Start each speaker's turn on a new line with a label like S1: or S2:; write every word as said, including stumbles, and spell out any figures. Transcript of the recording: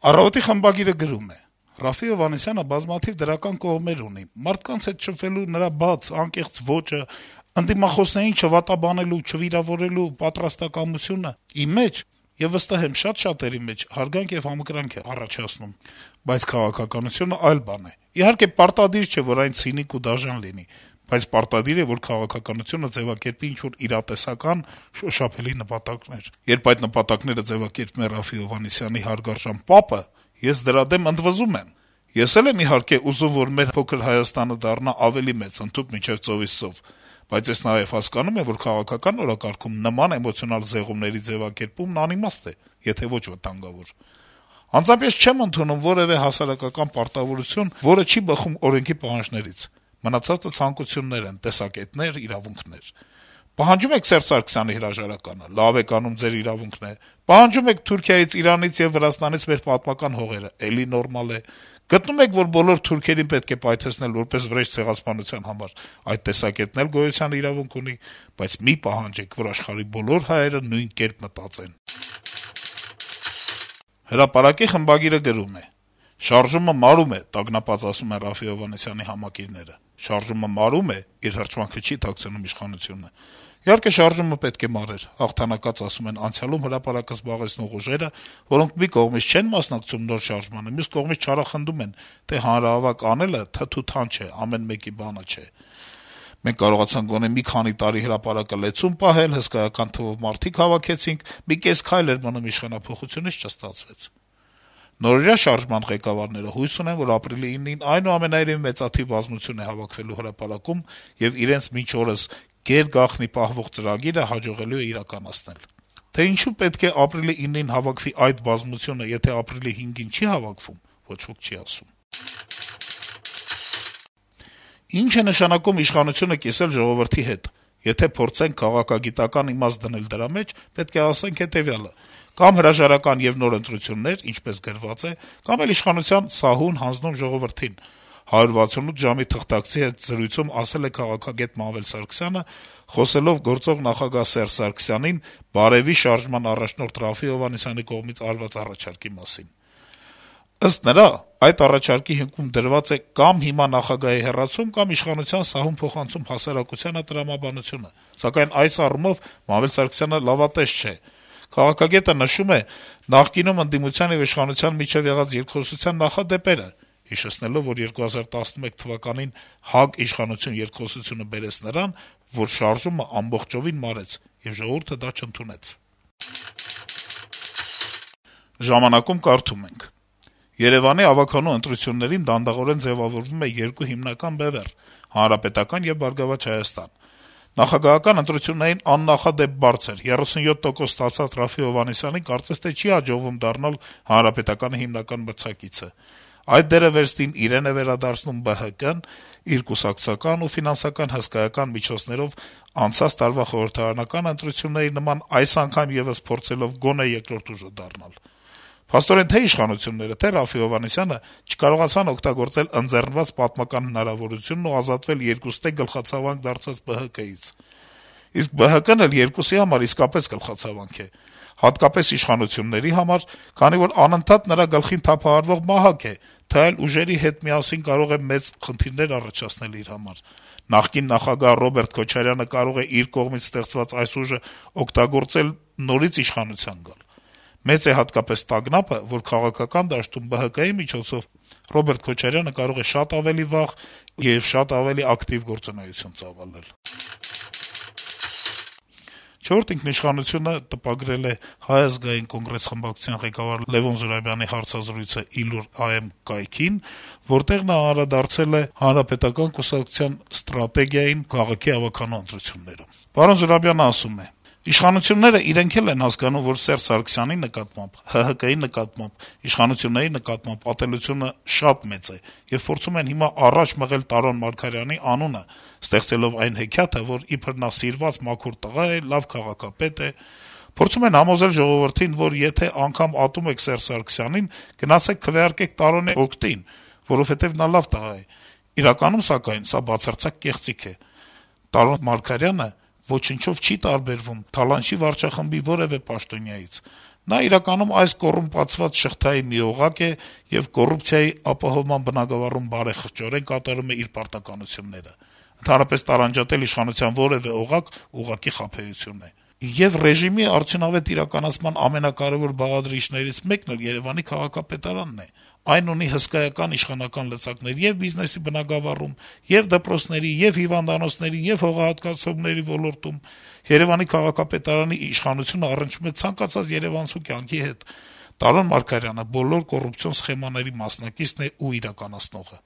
S1: Առավոտի խմբագիրը գրում է. - «Ռաֆֆի Հովհաննիսյանը բազմաթիվ դրական կողմեր ունի. մարդկանց հետ շփվելու նրա բաց, անկեղծ ոճը, ընդդիմախոսներին չվատաբանելու, չվիրավորելու պատրաստակամությունը իմ մեջ, եւ վստահ եմ շատ շատերի մեջ, հարգանք եւ համակրանք է առաջացնում: Բայց քաղաքականությունը այլ բան է: Իհարկե, պարտադիր չէ, որ այն ցինիկ ու դաժան լինի, բայց պարտադիր է, որ քաղաքականությունը ձեւակերպի ինչ-որ իրատեսական, շոշափելի նպատակներ: Երբ այդ նպատակները ձեւակերպում է Ռաֆֆի Հովհաննիսյանի հարգարժան պապը, ես դրա դեմ ընդվզում եմ: Ես էլ եմ, իհարկե, ուզում, որ մեր փոքր Հայաստանը դառնա ավելի մեծ, ընդհուպ մինչեւ ծովից ծով: Բայց ես նաեւ հասկանում եմ, որ քաղաքական օրակարգում նման էմոցիոնալ զեղումների ձեւակերպումն անիմաստ է, եթե ոչ վտանգավոր: Անձամբ ես չեմ ընդունում որեւէ հասարակական պարտավորություն, որը չի բխում օրենքի պահանջներից: Մնացածը ցանկություններ են, տեսակետներ, իրավունքներ: Պահանջում եք Սերժ Սարգսյանի հրաժարականը: Լավ եք անում, ձեր իրավունքն է: Պահանջում եք Թուրքիայից, Իրանից եւ Վրաստանից մեր պատմական հողերը: Էլի նորմալ է: Գտնում եք, որ բոլոր թուրքերին պետք է պայթեցնել որպես վրեժ ցեղասպանության համար: Այդ տեսակետն էլ գոյության իրավունք ունի: Բայց մի պահանջեք, որ աշխարհի բոլոր հայերը նույն կերպ մտածեն»: «Հրապարակ»-ի խմբագիրը գրում է. - «Շարժումը մարում է», տագնապած ասում են Ռաֆֆի Հովհաննիսյանի համակիրները: «Շարժումը մարում է» - իր հրճվանքը չի թաքցնում իշխանությունը: Իհարկե, շարժումը պետք է մարեր: Հաղթանակած ասում են անցյալում հրապարակը զբաղեցնող ուժերը, որոնք մի կողմից չեն մասնակցում նոր շարժմանը, մյուս կողմից չարախնդում են, թե հանրահավաք անելը թթու-թան չէ, ամեն մեկի բանը չէ: Մենք կարողացանք գոնե մի քանի տարի հրապարակը լեցուն պահել, հսկայական թվով մարդիկ հավաքեցինք, մի կես քայլ էր մնում իշխանափոխությունից, չստացվեց: Նորօրյա շարժման ղեկավարները հույս ունեն, որ ապրիլի ինին այնուամենայնիվ մեծաթիվ բազմություն է հավաքվելու հրապարակում, եւ իրենց մինչ օրս գեր-գաղտնի պահվող ծրագիրը հաջողելու է իրականացնել: Թե ինչու պետք է ապրիլի ինին հավաքվի այդ բազմությունը, եթե ապրիլի հինգին չի հավաքվում, ոչ ոք չի ասում»: Ինչ է նշանակում իշխանությունը կիսել ժողովրդի հետ: Եթե փորձենք քաղաքագիտական իմաստ դնել դրա մեջ, պետք է ասենք հետեւյալը. կամ հրաժարական եւ նոր ընտրություններ, ինչպես գրված է, կամ էլ իշխանության սահուն հանձնում ժողովրդին: «հարյուր վաթսունութ ժամ»-ի թղթակցի հետ զրույցում ասել է քաղաքագետ Մանվել Սարգսյանը, խոսելով գործող նախագահ Սերժ Սարգսյանին «Բարեւի» շարժման առաջնորդ Ռաֆֆի Հովհաննիսյանի կողմից արված առաջարկի մասին: Ըստ նրա, այդ առաջարկի հիմքում դրված է կամ հիմա նախագահի հեռացում, կամ իշխանության սահուն փոխանցում հասարակությանը տրամաբանությունը: Սակայն այս առումով Մանվել Սարգսյանը լավատես չէ: Քաղաքագետը նշում է նախկինում ընդդիմության եւ իշխանության միջեւ եղած երկխոսության նախադեպերը, հիշեցնելով, որ երկու հազար տասնմեկ թվականին «Հակ-իշխանություն» երկխոսությունը բերեց նրան, որ շարժումը ամբողջովին մարեց, եւ ժողովուրդը դա չընդունեց: «Ժամանակ»-ում կարդում ենք. - «Երեւանի ավագանու ընտրություններին դանդաղորեն ձեւավորվում է երկու հիմնական բեւեռ` Հանրապետական եւ Բարգավաճ Հայաստան: Նախագահական ընտրություններին աննախադեպ բարձր, երեսունյոթ տոկոս ստացած Ռաֆֆի Հովհաննիսյանին կարծես թե չի հաջողվում դառնալ Հանրապետականի հիմնական մրցակիցը: Այդ դերը վերստին իրեն է վերադարձնում Բը Հը Կը-ն` իր կուսակցական ու ֆինանսական հսկայական միջոցներով անցած տարվա խորհրդարանական ընտրությունների նման այս անգամ եւս փորձելով գոնե երկրորդ ուժը դառնալ: Փաստորեն, թե' իշխանությունները, թե' Ռաֆֆի Հովհաննիսյանը չկարողացան օգտագործել ընձեռնված պատմական հնարավորությունն ու ազատվել երկուստե գլխացավանք դարձած Բը Հը Կը-ից: Իսկ Բը Հը Կը-ն էլ երկուսի համար իսկապես գլխացավանք է, հատկապես իշխանությունների համար, քանի որ անընդհատ նրա գլխին թափահարվող մահակ է, թե այլ ուժերի հետ միասին կարող է մեծ խնդիրներ առաջացնել իր համար: Նախկին նախագահ Ռոբերտ Քոչարյանը կարող է իր կողմից ստեղծված այս ուժը օգտագործել նորից իշխանության գալ: Մեծ է հատկապես տագնապը, որ քաղաքական դաշտում Բը Հը Կը-ի միջոցով Ռոբերտ Քոչարյանը կարող է շատ ավելի վաղ եւ շատ ավելի ակտիվ գործունեություն ծավալել»: «Չորրորդ ինքնիշխանություն»-ը տպագրել է Հայ ազգային կոնգրես խմբակցության ղեկավար Լեւոն Զուրաբյանի հարցազրույցը ի լուր Այ Էմ կայքին, որտեղ նա անդրադարձել է Հանրապետական կուսակցության ստրատեգիային քաղաքի ավագանու ընտրություններում: Զուրաբյանը ասում է. - «Իշխանությունները իրենք էլ են հասկանում, որ Սերժ Սարգսյանի նկատմամբ, Հը Հը Կը-ի նկատմամբ, իշխանությունների նկատմամբ ատելությունը շատ մեծ է եւ փորձում են հիմա առաջ մղել Տարոն Մարգարյանի անունը` ստեղծելով այն հեքիաթը, որ իբր նա սիրված մաքուր տղա է, լավ քաղաքապետ է: Փորձում են համոզել ժողովրդին, որ եթե անգամ ատում եք Սերժ Սարգսյանին, գնացեք քվեարկեք Տարոնի օգտին, որովհետեւ նա լավ տղա է: Իրականում, սակայն, սա բացարձակ կեղծիք է: Տարոն Մարգարյանը ոչնչով չի տարբերվում Թալանչի վարչախմբի որեւէ պաշտոնյայից: Նա իրականում այս կոռումպացված շղթայի մի օղակ է եւ կոռուպցիայի ապահովման բնագավառում բարեխղճորեն կատարում է իր պարտականությունները: Ընդհանրապես տարանջատել իշխանության որեւէ օղակ ուղղակի խաբեություն է: Եվ ռեժիմի արդյունավետ իրականացման ամենակարեւոր բաղադրիչներից մեկն էլ Երեւանի քաղաքապետարանն է: Այն ունի հսկայական իշխանական լծակներ եւ բիզնեսի բնագավառում, եւ դպրոցների, եւ հիվանդանոցների, եւ հողահատկացումների ոլորտում: Երեւանի քաղաքապետարանի իշխանությունը առնչվում է ցանկացած երեւանցու կյանքի հետ: Տարոն Մարգարյանը բոլոր կոռուպցիոն սխեմաների մասնակիցն է ու իրականացնողը»: